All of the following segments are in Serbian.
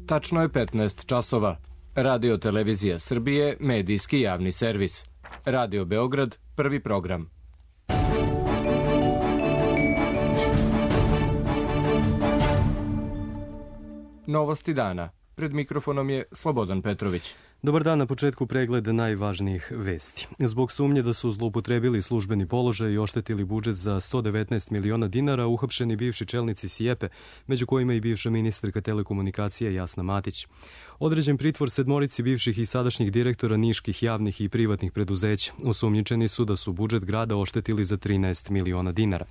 Tačno je 15 časova. Radio Televizija Srbije, medijski javni servis. Radio Beograd, prvi program. Novosti dana. Pred mikrofonom je Slobodan Petrović. Dobar dan, na početku pregled najvažnijih vesti. Zbog sumnje da su zloupotrebili službeni položaj i oštetili budžet za 119 miliona dinara, uhapšeni bivši čelnici SIEPA, među kojima i bivša ministarka telekomunikacije Jasna Matić. Određen pritvor sedmorici bivših i sadašnjih direktora niških javnih i privatnih preduzeća. Osumnjičeni su da su budžet grada oštetili za 13 miliona dinara.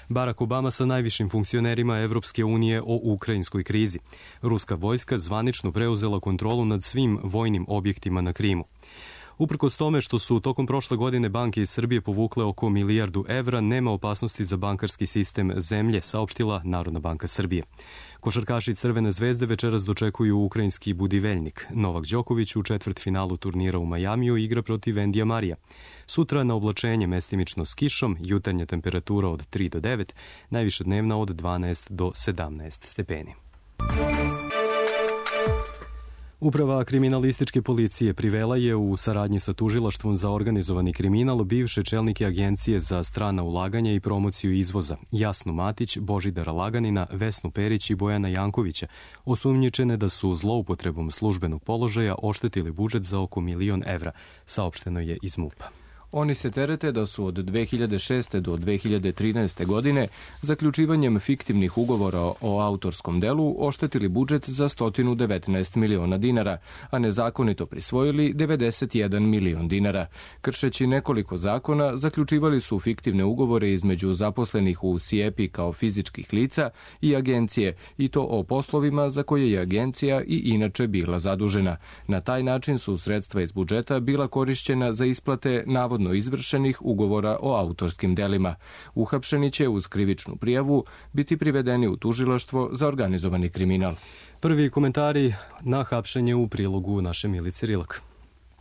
Barack Obama sa najvišim funkcionerima Evropske unije o ukrajinskoj krizi. Ruska vojska zvanično preuzela kontrolu nad svim vojnim objektima na Krimu. Uprkos tome što su tokom prošle godine banke iz Srbije povukle oko 1 milijardu evra, nema opasnosti za bankarski sistem zemlje, saopštila Narodna banka Srbije. Košarkaši Crvene zvezde večeras dočekuju ukrajinski Budiveljnik. Novak Đoković u četvrtfinalu turnira u Majamiju igra protiv Endija Marija. Sutra na oblačenje mestimično s kišom, jutarnja temperatura od 3 do 9, najviša dnevna od 12 do 17 stepeni. Uprava kriminalističke policije privela je u saradnji sa tužilaštvom za organizovani kriminal bivše čelnike Agencije za strana ulaganja i promociju izvoza Jasnu Matić, Božidara Laganina, Vesnu Perić i Bojana Jankovića, osumnjičene da su zloupotrebom službenog položaja oštetili budžet za oko 1 milion evra, saopšteno je iz MUP-a. Oni se terete da su od 2006. do 2013. godine zaključivanjem fiktivnih ugovora o autorskom delu oštetili budžet za 119 miliona dinara, a nezakonito prisvojili 91 milion dinara. Kršeći nekoliko zakona, zaključivali su fiktivne ugovore između zaposlenih u SIEPA kao fizičkih lica i agencije, i to o poslovima za koje je agencija i inače bila zadužena. Na taj način su sredstva iz budžeta bila korišćena za isplate navodno izvršenih ugovora o autorskim delima. Uhapšeni će uz krivičnu prijavu biti privedeni u tužilaštvo za organizovani kriminal. Prvi komentari na hapšenje u prilogu naše Milice Rilak.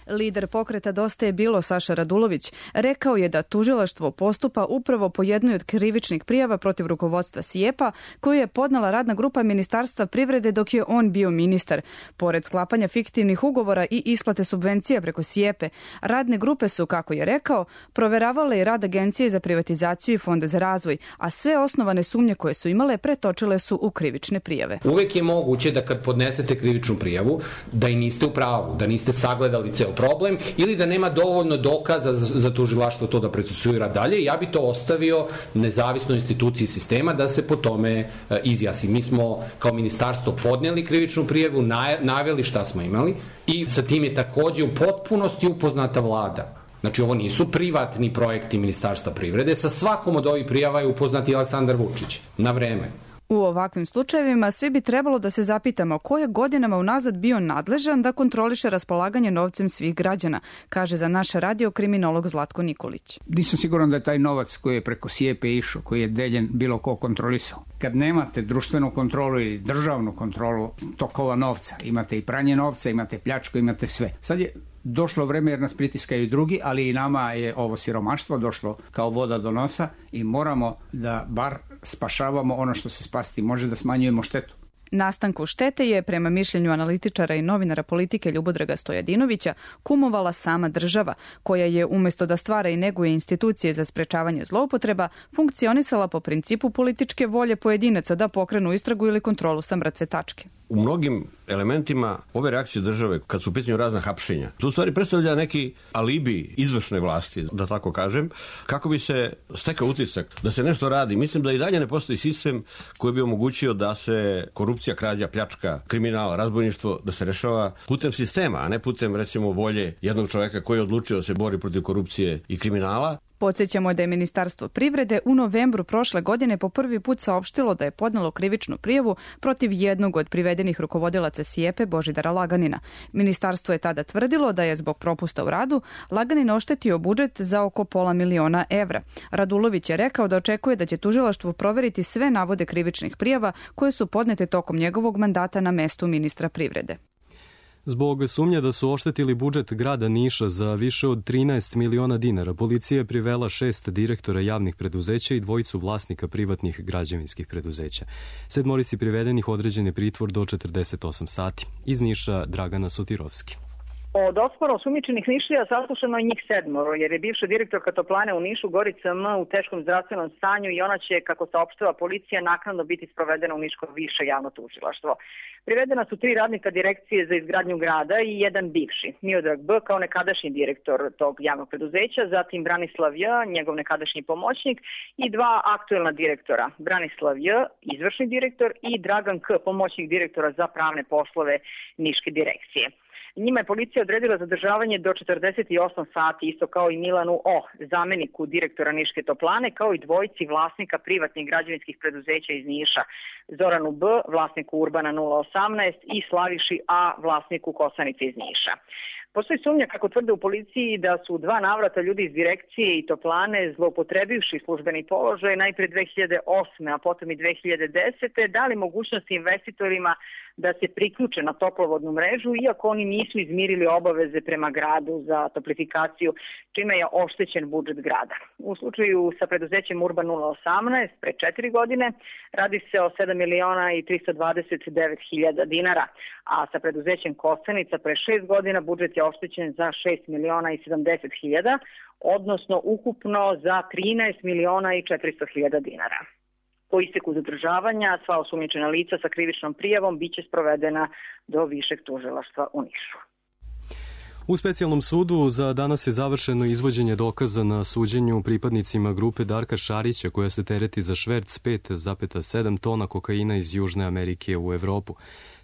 Lider pokreta Dosta je bilo Saša Radulović rekao je da tužilaštvo postupa upravo po jednoj od krivičnih prijava protiv rukovodstva SIEPA koju je podnela radna grupa Ministarstva privrede dok je on bio ministar. Pored sklapanja fiktivnih ugovora i isplate subvencija preko SIEPA, radne grupe su, kako je rekao, proveravale i rad Agencije za privatizaciju i Fonda za razvoj, a sve osnovane sumnje koje su imale pretočile su u krivične prijave. Uvek je moguće da kad podnesete krivičnu prijavu, da i niste u pravu, da niste sagledali ceo problem ili da nema dovoljno dokaza za tužilaštvo to da procesuira dalje. Ja bi to ostavio nezavisnoj instituciji sistema da se po tome izjasni. Mi smo kao ministarstvo podnijeli krivičnu prijavu, naveli šta smo imali i sa tim je takođe u potpunosti upoznata vlada. Znači, ovo nisu privatni projekti Ministarstva privrede. Sa svakom od ovih prijava je upoznat i Aleksandar Vučić na vreme. U ovakvim slučajevima svi bi trebalo da se zapitamo ko je godinama unazad bio nadležan da kontroliše raspolaganje novcem svih građana, kaže za naš radio kriminolog Zlatko Nikolić. Nisam siguran da je taj novac koji je preko SIEPA išao, koji je deljen, bilo ko kontrolisao. Kad nemate društvenu kontrolu ili državnu kontrolu tokova novca, imate i pranje novca, imate pljačku, imate sve. Sad je došlo vreme jer nas pritiskaju i drugi, ali i nama je ovo siromaštvo došlo kao voda do nosa i moramo da bar spašavamo ono što se spasiti može, da smanjujemo štetu. Nastanku štete je, prema mišljenju analitičara i novinara politike Ljubodraga Stojadinovića, kumovala sama država, koja je umjesto da stvara i neguje institucije za sprečavanje zloupotreba, funkcionisala po principu političke volje pojedinaca da pokrenu istragu ili kontrolu sa mrtve tačke. U mnogim elementima ove reakcije države, kad su u pitanju razna hapšenja, to u stvari predstavlja neki alibi izvršne vlasti, da tako kažem, kako bi se stekao utisak da se nešto radi. Mislim da i dalje ne postoji sistem koji bi omogućio da se korupcija, krađa, pljačka, kriminal, razbojništvo, da se rešava putem sistema, a ne putem, recimo, volje jednog čoveka koji je odlučio da se bori protiv korupcije i kriminala. Podsjećamo da je Ministarstvo privrede u novembru prošle godine po prvi put saopštilo da je podnelo krivičnu prijavu protiv jednog od privedenih rukovodilaca SIEPA Božidara Laganina. Ministarstvo je tada tvrdilo da je zbog propusta u radu Laganin oštetio budžet za oko $500 miliona evra. Radulović je rekao da očekuje da će tužilaštvo proveriti sve navode krivičnih prijava koje su podnete tokom njegovog mandata na mestu ministra privrede. Zbog sumnje da su oštetili budžet grada Niša za više od 13 miliona dinara, policija je privela 6 direktora javnih preduzeća i 2 vlasnika privatnih građevinskih preduzeća. 7 privedenih određen je pritvor do 48 sati. Iz Niša Dragana Sotirovski. Od 8 osumnjičenih Nišlija saslušano je njih 7, jer je bivša direktorka toplane u Nišu Gorica M u teškom zdravstvenom stanju i ona će, kako saopštava policija, naknadno biti sprovedena u Niško više javno tužilaštvo. Privedena su 3 radnika direkcije za izgradnju grada i 1 bivši, Miodrag B kao nekadašnji direktor tog javnog preduzeća, zatim Branislav J, njegov nekadašnji pomoćnik i 2 aktuelna direktora, Branislav J, izvršni direktor i Dragan K, pomoćnik direktora za pravne poslove Niške direkcije. Njima je policija odredila zadržavanje do 48 sati, isto kao i Milanu O, zameniku direktora Niške toplane, kao i 2 vlasnika privatnih građevinskih preduzeća iz Niša, Zoranu B, vlasniku Urbana 018 i Slaviši A, vlasniku Kosanice iz Niša. Postoji sumnja, kako tvrde u policiji, da su 2 navrata ljudi iz direkcije i toplane, zloupotrebivši službeni položaj, najpre 2008. a potom i 2010. dali mogućnost investitorima da se priključe na toplovodnu mrežu, iako oni nisu izmirili obaveze prema gradu za toplifikaciju, čime je oštećen budžet grada. U slučaju sa preduzećem Urban 018 pre 4 godine radi se o 7 miliona i 329 hiljada dinara, a sa preduzećem Kosanica pre 6 godina budžet je oštećen za 6 miliona i 70 hiljada, odnosno ukupno za 13 miliona i 400 hiljada dinara. Po isteku zadržavanja sva osumnjičena lica sa krivičnom prijavom biće sprovedena do višeg tužilaštva u Nišu. U specijalnom sudu za danas je završeno izvođenje dokaza na suđenju pripadnicima grupe Darka Šarića koja se tereti za šverc 5,7 tona kokaina iz Južne Amerike u Evropu.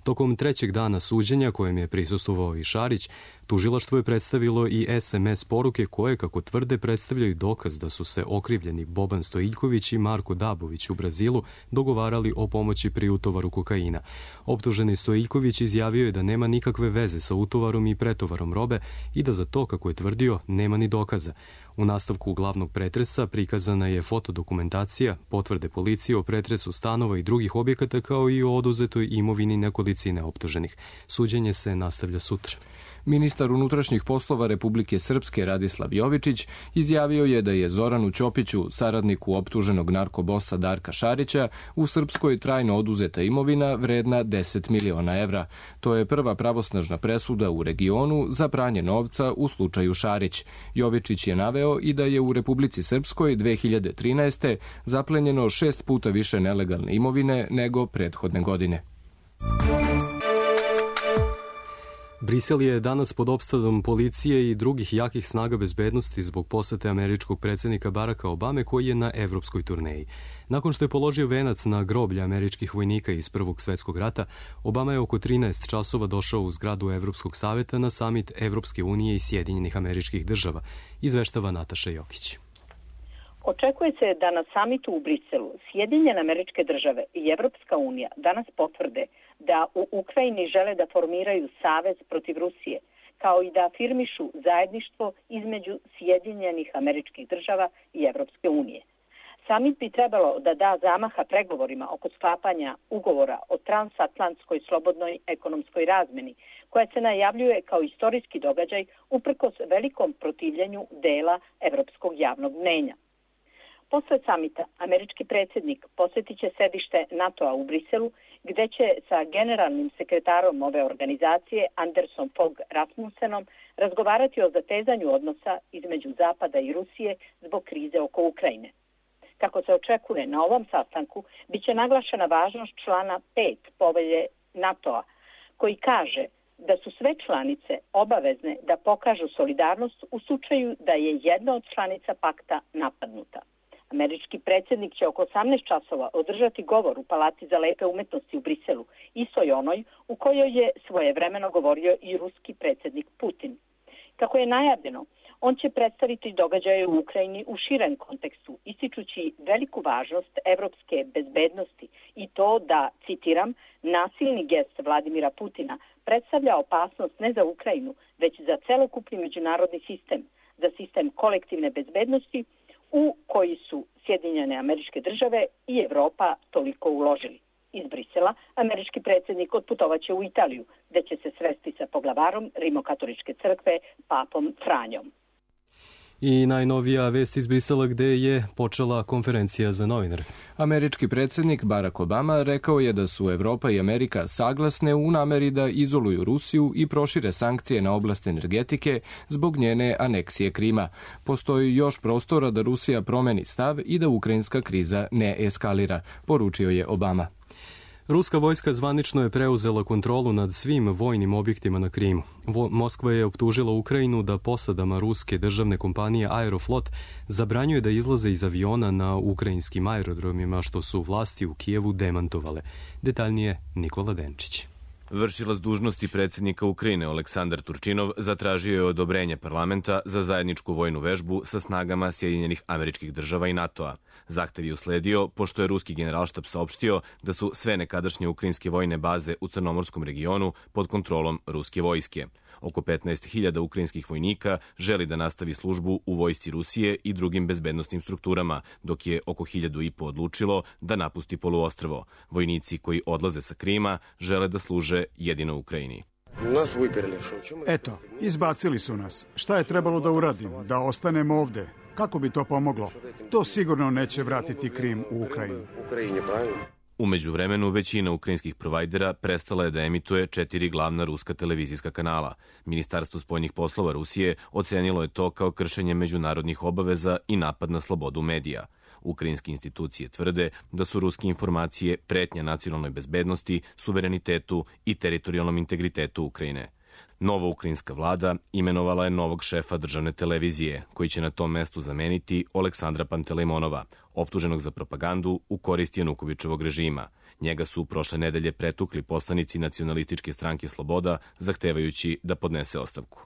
Tokom 3. dana suđenja, kojem je prisustvovao i Šarić, tužilaštvo je predstavilo i SMS poruke koje, kako tvrde, predstavljaju dokaz da su se okrivljeni Boban Stojiljković i Marko Dabović u Brazilu dogovarali o pomoći pri utovaru kokaina. Optuženi Stojiljković izjavio je da nema nikakve veze sa utovarom i pretovarom robe i da za to, kako je tvrdio, nema ni dokaza. U nastavku glavnog pretresa prikazana je fotodokumentacija, potvrde policije o pretresu stanova i drugih objekata kao i o oduzetoj imovini nekolicine optuženih. Suđenje se nastavlja sutra. Ministar unutrašnjih poslova Republike Srpske Radislav Jovičić izjavio je da je Zoranu Ćopiću, saradniku optuženog narkobosa Darka Šarića, u Srpskoj trajno oduzeta imovina vredna 10 miliona evra. To je prva pravosnažna presuda u regionu za pranje novca u slučaju Šarić. Jovičić je naveo i da je u Republici Srpskoj 2013. zaplenjeno 6 puta više nelegalne imovine nego prethodne godine. Brisel je danas pod opsadom policije i drugih jakih snaga bezbednosti zbog posete američkog predsjednika Baracka Obame koji je na evropskoj turneji. Nakon što je položio venac na groblje američkih vojnika iz Prvog svjetskog rata, Obama je oko 13 časova došao u zgradu Evropskog saveta na samit Evropske unije i Sjedinjenih Američkih Država, izveštava Nataša Jokić. Očekuje se da na samitu u Briselu Sjedinjene Američke Države i Evropska unija danas potvrde da u Ukrajini žele da formiraju savez protiv Rusije, kao i da afirmišu zajedništvo između Sjedinjenih Američkih Država i Evropske unije. Samit bi trebalo da da zamaha pregovorima oko sklapanja ugovora o transatlantskoj slobodnoj ekonomskoj razmeni, koja se najavljuje kao istorijski događaj uprkos velikom protivljenju dela evropskog javnog mnenja. Posle samita, američki predsjednik posjetit će sedište NATO-a u Briselu, gde će sa generalnim sekretarom ove organizacije, Andersom Fogh Rasmussenom, razgovarati o zatezanju odnosa između Zapada i Rusije zbog krize oko Ukrajine. Kako se očekuje, na ovom sastanku biće naglašena važnost člana 5 povelje NATO-a, koji kaže da su sve članice obavezne da pokažu solidarnost u slučaju da je jedna od članica pakta napadnuta. Američki predsjednik će oko 18 časova održati govor u Palati za lepe umetnosti u Briselu, istoj onoj u kojoj je svojevremeno govorio i ruski predsjednik Putin. Kako je najavljeno, on će predstaviti događaje u Ukrajini u širem kontekstu, ističući veliku važnost evropske bezbednosti i to da, citiram, nasilni gest Vladimira Putina predstavlja opasnost ne za Ukrajinu, već za celokupni međunarodni sistem, za sistem kolektivne bezbednosti u koji su Sjedinjene Američke Države i Evropa toliko uložili. Iz Brisela američki predsjednik otputovaće u Italiju, gde će se sresti sa poglavarom Rimokatoličke crkve, papom Franjom. I najnovija vest iz Brisela gde je počela konferencija za novinare. Američki predsjednik Barack Obama rekao je da su Evropa i Amerika saglasne u nameri da izoluju Rusiju i prošire sankcije na oblast energetike zbog njene aneksije Krima. Postoji još prostora da Rusija promeni stav i da ukrajinska kriza ne eskalira, poručio je Obama. Ruska vojska zvanično je preuzela kontrolu nad svim vojnim objektima na Krimu. Moskva je optužila Ukrajinu da posadama ruske državne kompanije Aeroflot zabranjuje da izlaze iz aviona na ukrajinskim aerodromima, što su vlasti u Kijevu demantovale. Detaljnije Nikola Denčić. Vršilac dužnosti predsjednika Ukrajine Oleksandar Turčinov zatražio je odobrenje parlamenta za zajedničku vojnu vežbu sa snagama Sjedinjenih Američkih Država i NATO-a. Zahtev je usledio pošto je ruski generalštab saopštio da su sve nekadašnje ukrajinske vojne baze u Crnomorskom regionu pod kontrolom ruske vojske. Oko 15.000 ukrajinskih vojnika želi da nastavi službu u vojsci Rusije i drugim bezbednostnim strukturama, dok je oko 1.500 odlučilo da napusti poluostrvo. Vojnici koji odlaze sa Krima žele da služe jedino Ukrajini. Eto, izbacili su nas. Šta je trebalo da uradim? Da ostanemo ovde? Kako bi to pomoglo? To sigurno neće vratiti Krim u Ukrajinu. U međuvremenu, većina ukrajinskih provajdera prestala je da emituje 4 glavna ruska televizijska kanala. Ministarstvo spoljnih poslova Rusije ocenilo je to kao kršenje međunarodnih obaveza i napad na slobodu medija. Ukrajinske institucije tvrde da su ruske informacije pretnja nacionalnoj bezbednosti, suverenitetu i teritorijalnom integritetu Ukrajine. Nova ukrajinska vlada imenovala je novog šefa državne televizije, koji će na tom mestu zameniti Oleksandra Pantelejmonova, optuženog za propagandu u korist Janukovičevog režima. Njega su prošle nedelje pretukli poslanici nacionalističke stranke Sloboda, zahtevajući da podnese ostavku.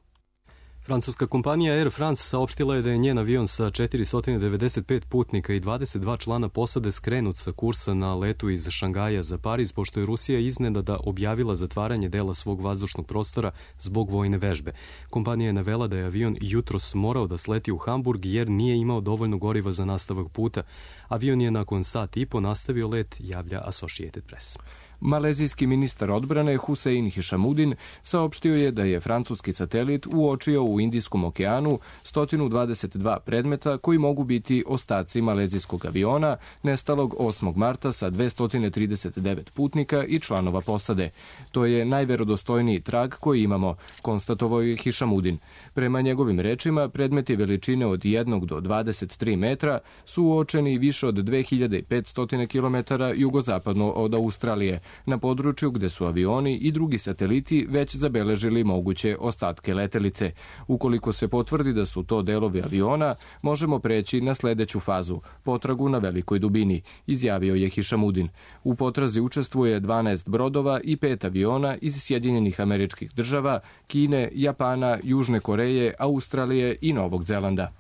Francuska kompanija Air France saopštila je da je njen avion sa 495 putnika i 22 člana posade skrenut sa kursa na letu iz Šangaja za Pariz, pošto je Rusija iznenada objavila zatvaranje dela svog vazdušnog prostora zbog vojne vežbe. Kompanija je navela da je avion jutros morao da sleti u Hamburg jer nije imao dovoljno goriva za nastavak puta. Avion je nakon sat i po nastavio let, javlja Associated Press. Malezijski ministar odbrane Hussein Hišamudin saopštio je da je francuski satelit uočio u Indijskom okeanu 122 predmeta koji mogu biti ostaci malezijskog aviona nestalog 8. marta sa 239 putnika i članova posade. To je najverodostojniji trag koji imamo, konstatovao je Hišamudin. Prema njegovim rečima, predmeti veličine od 1 do 23 metra su uočeni više od 2500 km jugozapadno od Australije, na području gde su avioni i drugi sateliti već zabeležili moguće ostatke letelice. Ukoliko se potvrdi da su to delovi aviona, možemo preći na sledeću fazu, potragu na velikoj dubini, izjavio je Hišamudin. U potrazi učestvuje 12 brodova i 5 aviona iz Sjedinjenih Američkih Država, Kine, Japana, Južne Koreje, Australije i Novog Zelanda.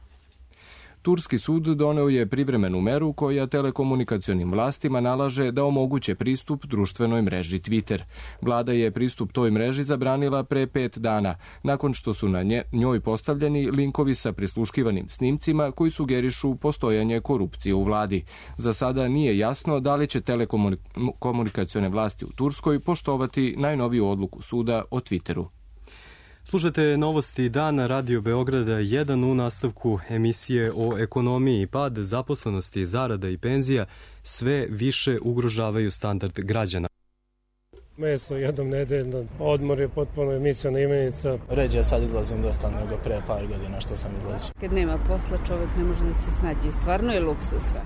Turski sud doneo je privremenu meru koja telekomunikacionim vlastima nalaže da omoguće pristup društvenoj mreži Twitter. Vlada je pristup toj mreži zabranila pre 5 dana, nakon što su na njoj postavljeni linkovi sa prisluškivanim snimcima koji sugerišu postojanje korupcije u vladi. Za sada nije jasno da li će telekomunikacione vlasti u Turskoj poštovati najnoviju odluku suda o Twitteru. Slušate novosti dana Radio Beograda 1 u nastavku emisije o ekonomiji. Pad zaposlenosti, zarada i penzija sve više ugrožavaju standard građana. Meso jednom nedeljno, odmor je potpuno emisijona imenica. Ređe sad izlazim dosta nego pre par godina što sam izlazio. Kad nema posla čovjek ne može da se snađe, stvarno je luksuz sve.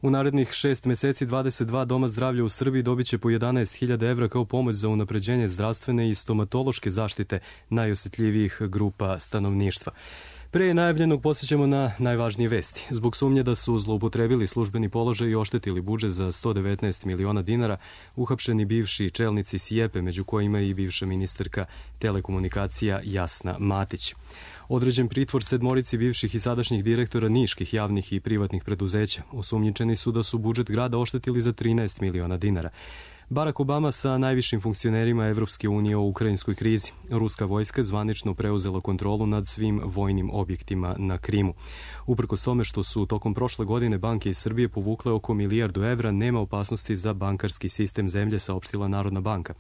U narednih 6 meseci 22 doma zdravlja u Srbiji dobit će po 11.000 evra kao pomoć za unapređenje zdravstvene i stomatološke zaštite najosjetljivijih grupa stanovništva. Pre najavljenog posjećamo na najvažnije vesti. Zbog sumnje da su zloupotrebili službeni položaj i oštetili budžet za 119 miliona dinara, uhapšeni bivši čelnici SIEPE, među kojima i bivša ministarka telekomunikacija Jasna Matić. Određen pritvor 7 bivših i sadašnjih direktora niških javnih i privatnih preduzeća. Osumnjičeni su da su budžet grada oštetili za 13 miliona dinara. Barack Obama sa najvišim funkcionerima Evropske unije o ukrajinskoj krizi. Ruska vojska zvanično preuzela kontrolu nad svim vojnim objektima na Krimu. Uprkos tome što su tokom prošle godine banke iz Srbije povukle oko milijardu evra, nema opasnosti za bankarski sistem zemlje, saopštila Narodna banka.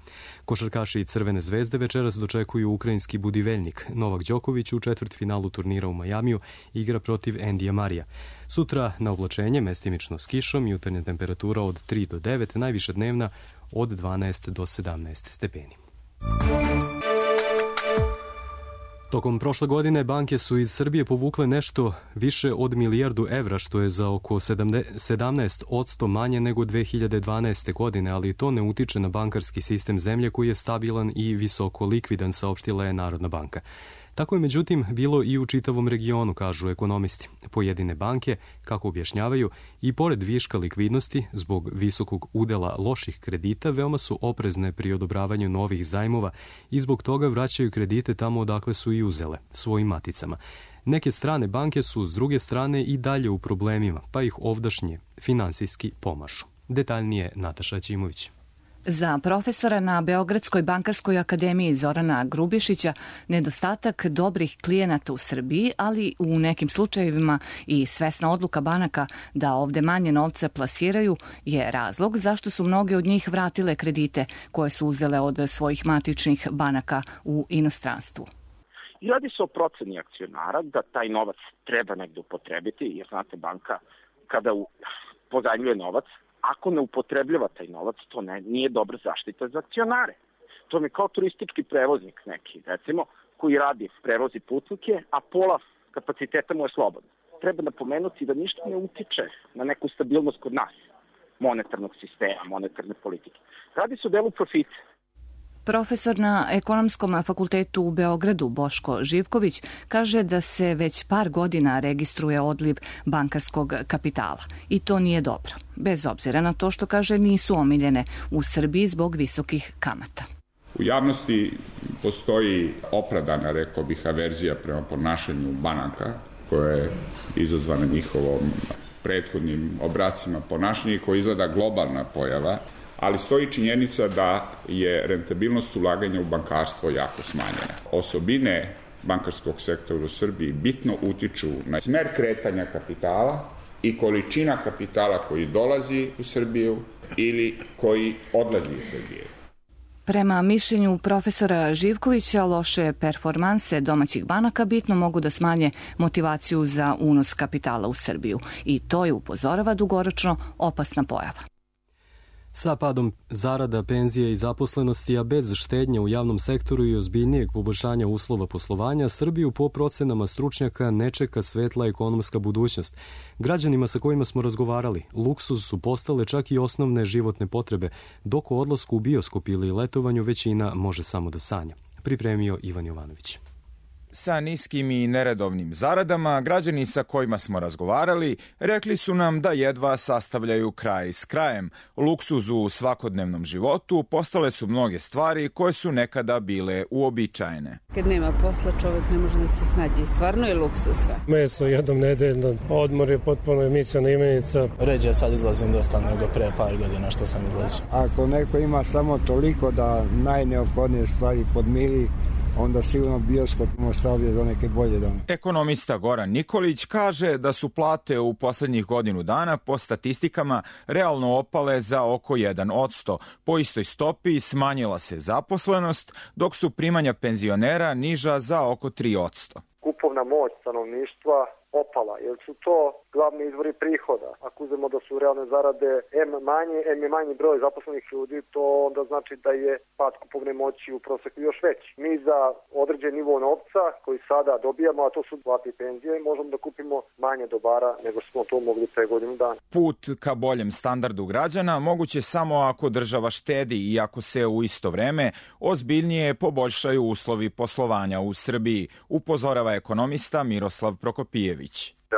Košarkaši i Crvene zvezde večeras dočekuju ukrajinski Budiveljnik. Novak Đoković u četvrtfinalu turnira u Majamiju igra protiv Endija Marija. Sutra na oblačenje, mestimično s kišom, jutarnja temperatura od 3 do 9, najviša dnevna od 12 do 17 stepeni. Tokom prošle godine banke su iz Srbije povukle nešto više od milijardu evra, što je za oko 17% manje nego 2012. godine, ali to ne utiče na bankarski sistem zemlje koji je stabilan i visoko likvidan, saopštila je Narodna banka. Tako je međutim bilo i u čitavom regionu, kažu ekonomisti. Pojedine banke, kako objašnjavaju, i pored viška likvidnosti zbog visokog udela loših kredita, veoma su oprezne pri odobravanju novih zajmova i zbog toga vraćaju kredite tamo odakle su i uzele, svojim maticama. Neke strane banke su s druge strane i dalje u problemima, pa ih ovdašnje finansijski pomažu. Detaljnije Nataša Ćimović. Za profesora na Beogradskoj bankarskoj akademiji Zorana Grubišića, nedostatak dobrih klijenata u Srbiji, ali u nekim slučajevima i svesna odluka banaka da ovde manje novca plasiraju, je razlog zašto su mnoge od njih vratile kredite koje su uzele od svojih matičnih banaka u inostranstvu. I radi se o proceni akcionara da taj novac treba negde upotrebiti, jer znate, banka kada pozajmljuje novac, ako ne upotrebljava taj novac, to nije dobra zaštita za akcionare. To mi je kao turistički prevoznik neki, recimo, koji radi prevozi putnike, a pola kapaciteta mu je slobodno. Treba napomenuti da ništa ne utiče na neku stabilnost kod nas, monetarnog sistema, monetarne politike. Radi se o delu profita. Profesor na Ekonomskom fakultetu u Beogradu Boško Živković kaže da se već par godina registruje odliv bankarskog kapitala i to nije dobro, bez obzira na to što, kaže, nisu omiljene u Srbiji zbog visokih kamata. U javnosti postoji opravdana, rekao bih, averzija prema ponašanju banaka koja je izazvana njihovom prethodnim obracima ponašanja i koja izgleda globalna pojava, ali stoji činjenica da je rentabilnost ulaganja u bankarstvo jako smanjena. Osobine bankarskog sektora u Srbiji bitno utiču na smer kretanja kapitala i količina kapitala koji dolazi u Srbiju ili koji odlazi iz Srbije. Prema mišljenju profesora Živkovića, loše performanse domaćih banaka bitno mogu da smanje motivaciju za unos kapitala u Srbiju i to je, upozorava, dugoročno opasna pojava. Sa padom zarada, penzije i zaposlenosti, a bez štednje u javnom sektoru i ozbiljnijeg poboljšanja uslova poslovanja, Srbiju po procenama stručnjaka ne čeka svetla ekonomska budućnost. Građanima sa kojima smo razgovarali, luksuz su postale čak i osnovne životne potrebe, dok o odlasku u bioskop ili letovanju većina može samo da sanja. Pripremio Ivan Jovanović. Sa niskim i neredovnim zaradama, građani sa kojima smo razgovarali rekli su nam da jedva sastavljaju kraj s krajem. Luksuzu u svakodnevnom životu postale su mnoge stvari koje su nekada bile uobičajene. Kad nema posla, čovjek ne može da se snađe i stvarno je luksuz sve. Meso jednom nedeljno, odmor je potpuno emisijona imenica. Ređe sad izlazim dosta nego pre par godina što sam izlazio. Ako neko ima samo toliko da najneophodnije stvari podmiri, onda sigurno bioskop ostavlja za neke bolje dane. Ekonomista Goran Nikolić kaže da su plate u poslednjih godinu dana po statistikama realno opale za oko 1%. Po istoj stopi smanjila se zaposlenost, dok su primanja penzionera niža za oko 3%. Kupovna moć stanovništva opala, jer su to glavni izvori prihoda. Ako uzmemo da su realne zarade M je manji broj zaposlenih ljudi, to onda znači da je pad kupovne moći u proseku još veći. Mi za određen nivo novca koji sada dobijamo, a to su plate i penzije, možemo da kupimo manje dobara nego smo to mogli pre godinu dana. Put ka boljem standardu građana moguće samo ako država štedi i ako se u isto vreme ozbiljnije poboljšaju uslovi poslovanja u Srbiji, upozorava ekonomista Miroslav Prokopijević.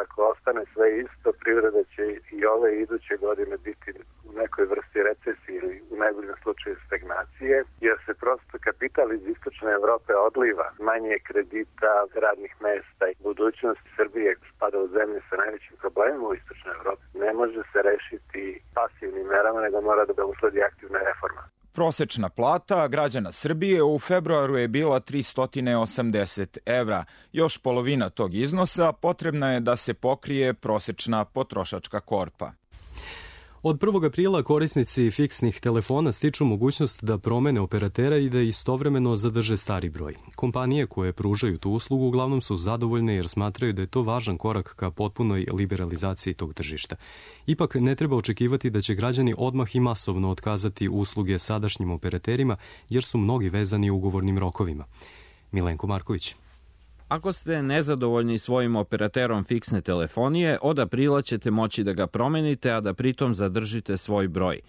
Ako ostane sve isto, privreda će i ove iduće godine biti u nekoj vrsti recesije ili u najboljem slučaju stagnacije, jer se prosto kapital iz istočne Evrope odliva. Manje kredita, radnih mesta i budućnost Srbije spada u zemlje sa najvećim problemima u istočnoj Evropi. Ne može se rešiti pasivnim represivnim merama, nego mora da usledi aktivna reforma. Prosečna plata građana Srbije u februaru je bila 380 evra. Još polovina tog iznosa potrebna je da se pokrije prosečna potrošačka korpa. Od 1. aprila korisnici fiksnih telefona stiču mogućnost da promene operatera i da istovremeno zadrže stari broj. Kompanije koje pružaju tu uslugu uglavnom su zadovoljne jer smatraju da je to važan korak ka potpunoj liberalizaciji tog tržišta. Ipak ne treba očekivati da će građani odmah i masovno otkazati usluge sadašnjim operaterima jer su mnogi vezani ugovornim rokovima. Milenko Marković. Ako ste nezadovoljni svojim operaterom fiksne telefonije, od aprila ćete moći da ga promenite, a da pritom zadržite svoj broj.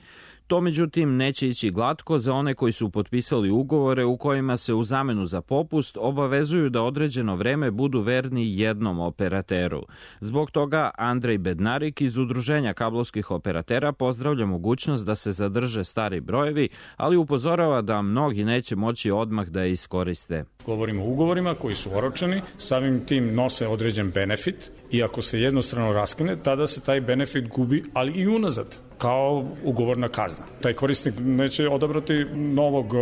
To, međutim, neće ići glatko za one koji su potpisali ugovore u kojima se u zamenu za popust obavezuju da određeno vreme budu verni jednom operateru. Zbog toga Andrej Bednarik iz Udruženja kablovskih operatera pozdravlja mogućnost da se zadrže stari brojevi, ali upozorava da mnogi neće moći odmah da je iskoriste. Govorimo o ugovorima koji su oročeni, samim tim nose određen benefit i ako se jednostrano raskine, tada se taj benefit gubi, ali i unazad, kao ugovorna kazna. Taj korisnik neće odabrati novog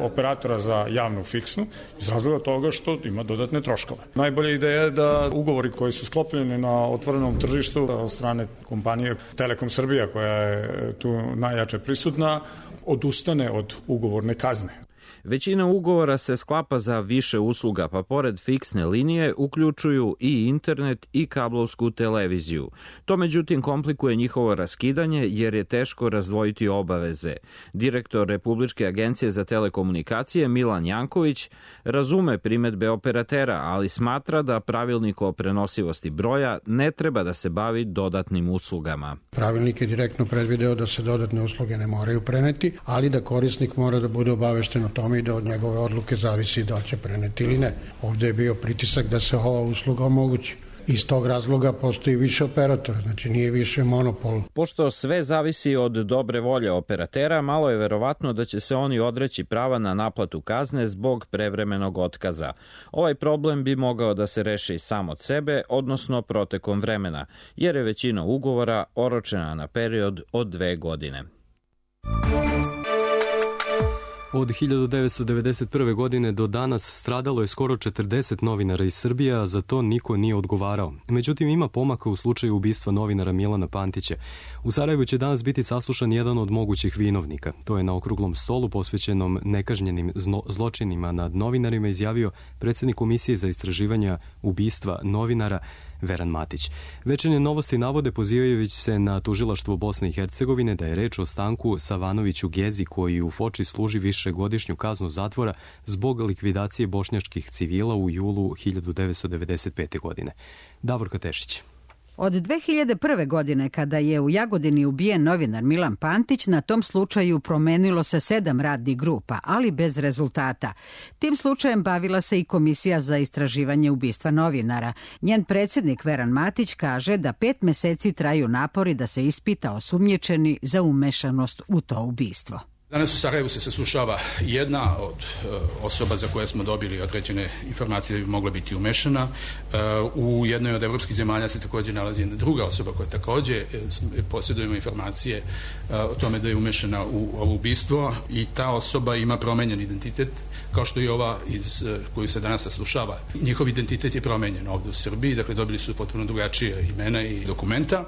operatora za javnu fiksnu iz razloga toga što ima dodatne troškove. Najbolja ideja je da ugovori koji su sklopljeni na otvorenom tržištu od strane kompanije Telekom Srbija, koja je tu najjače prisutna, odustane od ugovorne kazne. Većina ugovora se sklapa za više usluga, pa pored fiksne linije uključuju i internet i kablovsku televiziju. To međutim komplikuje njihovo raskidanje jer je teško razdvojiti obaveze. Direktor Republičke agencije za telekomunikacije Milan Janković razume primedbe operatera, ali smatra da pravilnik o prenosivosti broja ne treba da se bavi dodatnim uslugama. Pravilnik je direktno predvideo da se dodatne usluge ne moraju preneti, ali da korisnik mora da bude obavešten o tome i da od njegove odluke zavisi da će preneti ili ne. Ovde je bio pritisak da se ova usluga omogući. Iz tog razloga postoji više operatora, znači nije više monopol. Pošto sve zavisi od dobre volje operatera, malo je verovatno da će se oni odreći prava na naplatu kazne zbog prevremenog otkaza. Ovaj problem bi mogao da se reši sam od sebe, odnosno protekom vremena, jer je većina ugovora oročena na period od 2 godine. Od 1991. godine do danas stradalo je skoro 40 novinara iz Srbije, a za to niko nije odgovarao. Međutim, ima pomaka u slučaju ubistva novinara Milana Pantića. U Sarajevu će danas biti saslušan jedan od mogućih vinovnika. To je na okruglom stolu posvećenom nekažnjenim zločinima nad novinarima izjavio predsjednik Komisije za istraživanja ubistva novinara Veran Matić. Večernje novosti navode pozivajući se na tužilaštvo Bosne i Hercegovine da je reč o Stanku Savanoviću Gezi koji u Foči služi višegodišnju kaznu zatvora zbog likvidacije bošnjačkih civila u julu 1995. godine. Davorka Tešić. Od 2001. godine, kada je u Jagodini ubijen novinar Milan Pantić, na tom slučaju promenilo se 7 radnih grupa, ali bez rezultata. Tim slučajem bavila se i Komisija za istraživanje ubistva novinara. Njen predsjednik Veran Matić kaže da 5 meseci traju napori da se ispita osumnjičeni za umešanost u to ubistvo. Danas u Sarajevu se saslušava jedna od osoba za koje smo dobili određene informacije da bi mogla biti umešana. U jednoj od evropskih zemalja se također nalazi jedna druga osoba koja također posjedujemo informacije o tome da je umešana u ovo ubistvo i ta osoba ima promenjen identitet kao što i ova koju se danas saslušava. Njihov identitet je promenjen ovdje u Srbiji, dakle dobili su potpuno drugačije imena i dokumenta.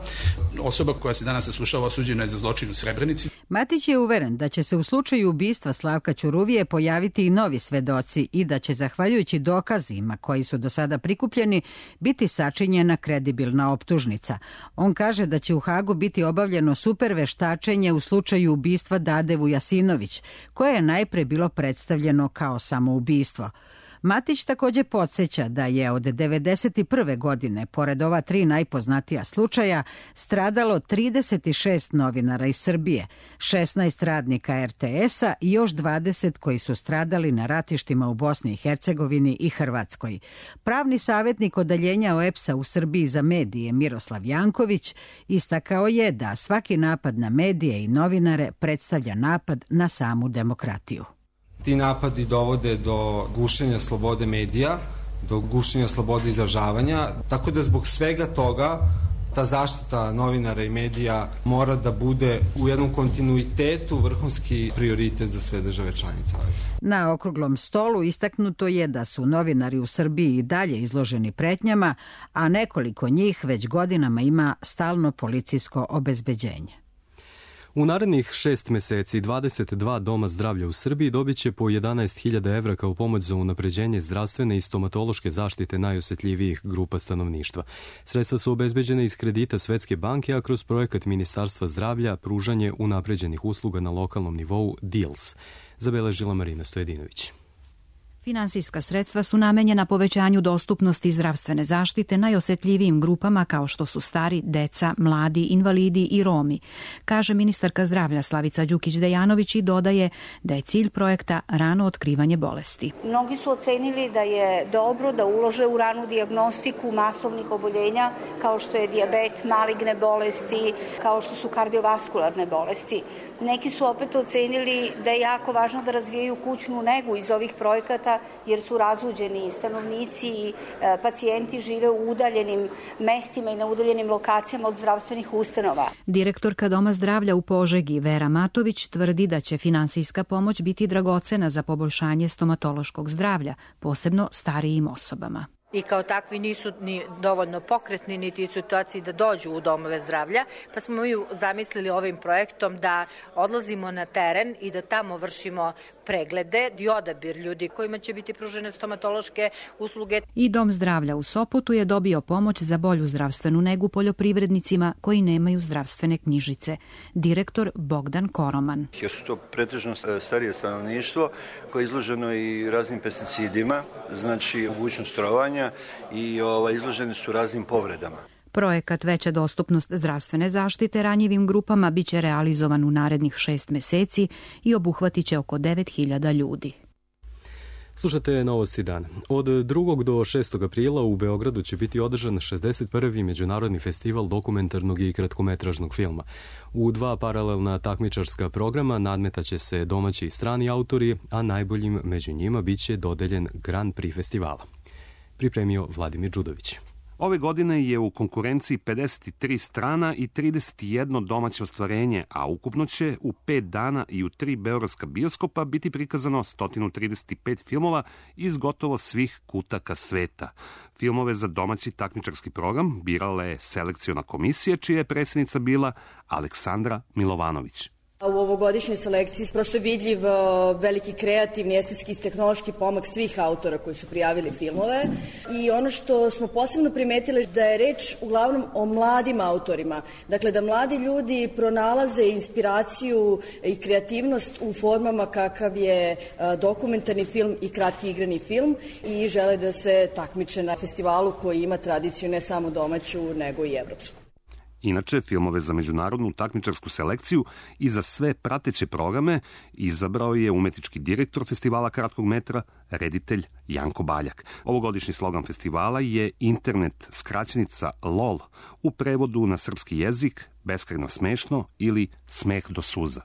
Osoba koja se danas saslušava osuđena je za zločin u Srebrenici. Matić je uveren da će se u slučaju ubistva Slavka Ćuruvije pojaviti i novi svedoci i da će, zahvaljujući dokazima koji su do sada prikupljeni, biti sačinjena kredibilna optužnica. On kaže da će u Hagu biti obavljeno super veštačenje u slučaju ubistva Dade Vujasinović, koje je najpre bilo predstavljeno kao samoubistvo. Matić također podsjeća da je od 1991. godine, pored ova 3 najpoznatija slučaja, stradalo 36 novinara iz Srbije, 16 radnika RTS-a i još 20 koji su stradali na ratištima u Bosni i Hercegovini i Hrvatskoj. Pravni savjetnik odeljenja OEPS-a u Srbiji za medije Miroslav Janković istakao je da svaki napad na medije i novinare predstavlja napad na samu demokratiju. Ti napadi dovode do gušenja slobode medija, do gušenja slobode izražavanja, tako da zbog svega toga Ta zaštita novinara i medija mora da bude u jednom kontinuitetu vrhunski prioritet za sve države članice. Na okruglom stolu istaknuto je da su novinari u Srbiji i dalje izloženi pretnjama, a nekoliko njih već godinama ima stalno policijsko obezbeđenje. U narednih 6 meseci 22 doma zdravlja u Srbiji dobit će po 11.000 evra kao pomoć za unapređenje zdravstvene i stomatološke zaštite najosetljivijih grupa stanovništva. Sredstva su obezbeđene iz kredita Svetske banke, a kroz projekat Ministarstva zdravlja pružanje unapređenih usluga na lokalnom nivou DEALS, zabeležila Marina Stojedinović. Finansijska sredstva su namenjena povećanju dostupnosti zdravstvene zaštite najosetljivijim grupama kao što su stari, deca, mladi, invalidi i Romi, kaže ministarka zdravlja Slavica Đukić-Dejanović i dodaje da je cilj projekta rano otkrivanje bolesti. Mnogi su ocenili da je dobro da ulože u ranu dijagnostiku masovnih oboljenja kao što je dijabet, maligne bolesti, kao što su kardiovaskularne bolesti. Neki su opet ocenili da je jako važno da razvijaju kućnu negu iz ovih projekata jer su razuđeni stanovnici i pacijenti žive u udaljenim mestima i na udaljenim lokacijama od zdravstvenih ustanova. Direktorka Doma zdravlja u Požegi Vera Matović tvrdi da će finansijska pomoć biti dragocena za poboljšanje stomatološkog zdravlja, posebno starijim osobama. I kao takvi nisu ni dovoljno pokretni niti u situaciji da dođu u domove zdravlja, pa smo mi zamislili ovim projektom da odlazimo na teren i da tamo vršimo preglede i odabir ljudi kojima će biti pružene stomatološke usluge. I Dom zdravlja u Sopotu je dobio pomoć za bolju zdravstvenu negu poljoprivrednicima koji nemaju zdravstvene knjižice. Direktor Bogdan Koroman. Jer su to pretežno starije stanovništvo koje je izloženo i raznim pesticidima, znači mogućnost trovanja i izloženi su raznim povredama. Projekat Veća dostupnost zdravstvene zaštite ranjivim grupama biće realizovan u narednih 6 meseci i obuhvatit će oko 9.000 ljudi. Slušate Novosti dana. Od 2. do 6. aprila u Beogradu će biti održan 61. Međunarodni festival dokumentarnog i kratkometražnog filma. U 2 paralelna takmičarska programa nadmetaće se domaći i strani autori, a najboljim među njima biće dodeljen Grand Prix festivala. Pripremio Vladimir Đudović. Ove godine je u konkurenciji 53 strana i 31 domaće ostvarenje, a ukupno će u 5 dana i u 3 beogradska bioskopa biti prikazano 135 filmova iz gotovo svih kutaka sveta. Filmove za domaći takmičarski program birala je selekciona komisija, čija je predsjednica bila Aleksandra Milovanović. U ovogodišnjoj selekciji prosto je vidljiv veliki kreativni, estetski i tehnološki pomak svih autora koji su prijavili filmove i ono što smo posebno primetili da je reč uglavnom o mladim autorima. Dakle, da mladi ljudi pronalaze inspiraciju i kreativnost u formama kakav je dokumentarni film i kratki igrani film i žele da se takmiče na festivalu koji ima tradiciju ne samo domaću nego i evropsku. Inače, filmove za međunarodnu takmičarsku selekciju i za sve prateće programe izabrao je umetnički direktor festivala kratkog metra, reditelj Janko Baljak. Ovogodišnji slogan festivala je internet skraćenica LOL, u prevodu na srpski jezik beskrajno smešno ili smeh do suza.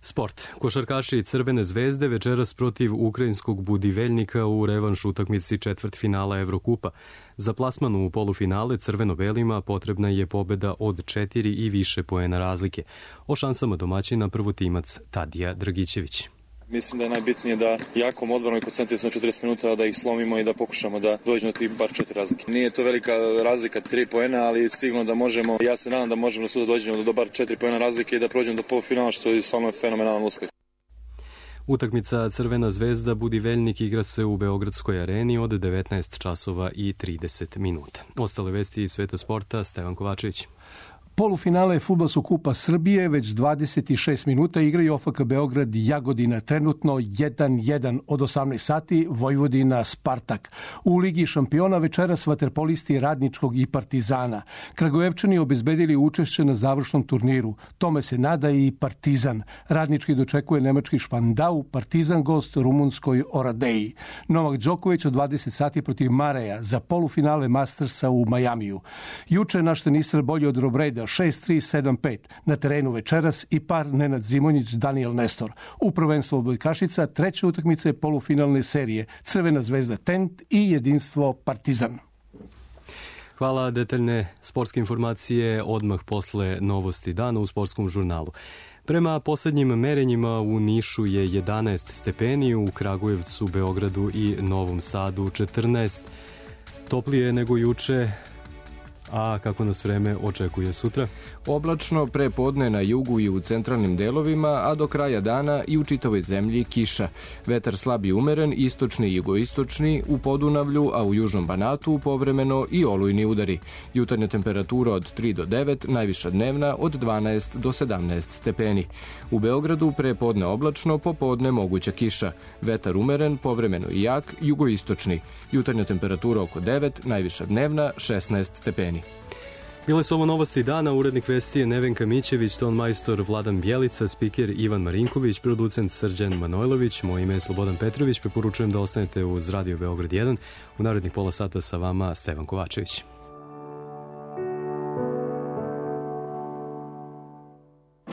Sport. Košarkaši Crvene zvezde večeras protiv ukrajinskog Budiveljnika u revanš utakmici četvrtfinala Evrokupa. Za plasman u polufinale crveno-belima potrebna je pobeda od 4 i više poena razlike. O šansama domaćina prvotimac Tadija Dragićević. Mislim da je najbitnije da jakom odbranom i koncentrisanom 40 minuta da ih slomimo i da pokušamo da dođemo do bar 4 razlike. Nije to velika razlika 3 poena, ali sigurno da možemo, ja se nadam da možemo da suda dođemo do bar 4 poena razlike i da prođemo do polufinala, što je stvarno fenomenalan uspeh. Utakmica Crvena zvezda Budiveljnik igra se u Beogradskoj areni od 19 časova i 30 minuta. Ostale vesti iz sveta sporta, Stevan Kovačević. Polufinale Fudbalskog kupa Srbije već 26 minuta igraju OFK Beograd i Jagodina, trenutno 1-1 od 18 sati, Vojvodina Spartak. U Ligi šampiona večeras vaterpolisti Radničkog i Partizana. Kragujevčani obezbedili učešće na završnom turniru. Tome se nada i Partizan. Radnički dočekuje nemački Špandau, Partizan gost rumunskoj Oradeji. Novak Đoković od 20 sati protiv Mareja za polufinale Mastersa u Majamiju. Juče naš tenisar bolji od Robreda 6-3-7-5. Na terenu večeras i par Nenad Zimonjić, Daniel Nestor. U prvenstvu odbojkašica treće utakmice polufinalne serije Crvena zvezda Tent i Jedinstvo Partizan. Hvala, detaljne sportske informacije odmah posle novosti dana u sportskom žurnalu. Prema poslednjim merenjima u Nišu je 11 stepeni, u Kragujevcu, Beogradu i Novom Sadu 14. Toplije nego juče. A kako nas vreme očekuje sutra? Oblačno, pre podne na jugu i u centralnim delovima, a do kraja dana i u čitavoj zemlji kiša. Vetar slab i umeren, istočni i jugoistočni, u Podunavlju, a u južnom Banatu povremeno i olujni udari. Jutarnja temperatura od 3 do 9, najviša dnevna od 12 do 17 stepeni. U Beogradu pre podne oblačno, popodne moguća kiša. Vetar umeren, povremeno i jak, jugoistočni. Jutarnja temperatura oko 9, najviša dnevna 16 stepeni. Bile su ovo novosti dana, urednik vesti je Nevenka Mićević, ton majstor Vladan Bjelica, spiker Ivan Marinković, producent Srđan Manojlović, moje ime je Slobodan Petrović, preporučujem da ostanete uz Radio Beograd 1. U narednih pola sata sa vama Stevan Kovačević.